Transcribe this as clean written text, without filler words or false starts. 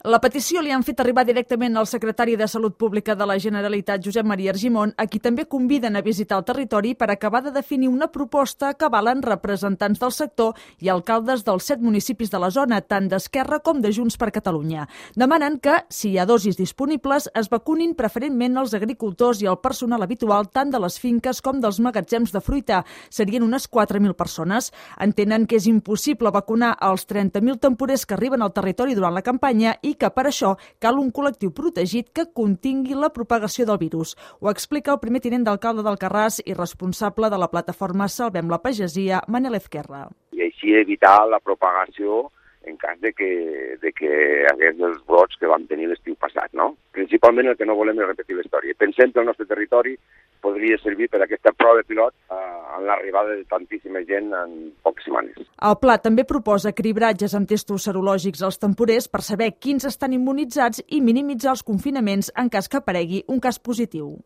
La petició li han fet arribar directament al secretari de Salut Pública de la Generalitat, Josep Maria Argimon, a qui també conviden a visitar el territori per acabar de definir una proposta que avalen representants del sector i alcaldes dels 7 municipis de la zona, tant d'Esquerra com de Junts per Catalunya. Demanen que, si hi ha dosis disponibles, es vacunin preferentment els agricultors i el personal habitual tant de les finques com dels magatzems de fruita. Serien unes 4.000 persones. Entenen que és impossible vacunar els 30.000 temporers que arriben al territori durant la campanya i que per això cal un col·lectiu protegit que contingui la propagació del virus. Ho explica el primer tinent d'alcalde d'Alcarràs i responsable de la plataforma Salvem la Pagesia, Manel Ezquerra. I així evitar la propagació en cas de que hagués els brots que vam tenir l'estiu passat, no? Principalment el que no volem és repetir la història. Pensem que el nostre territori podria servir per a aquesta prova de pilot en l'arribada de tantíssima gent en poques setmanes. El pla també proposa cribratges amb testos serològics als temporers per saber quins estan immunitzats i minimitzar els confinaments en cas que aparegui un cas positiu.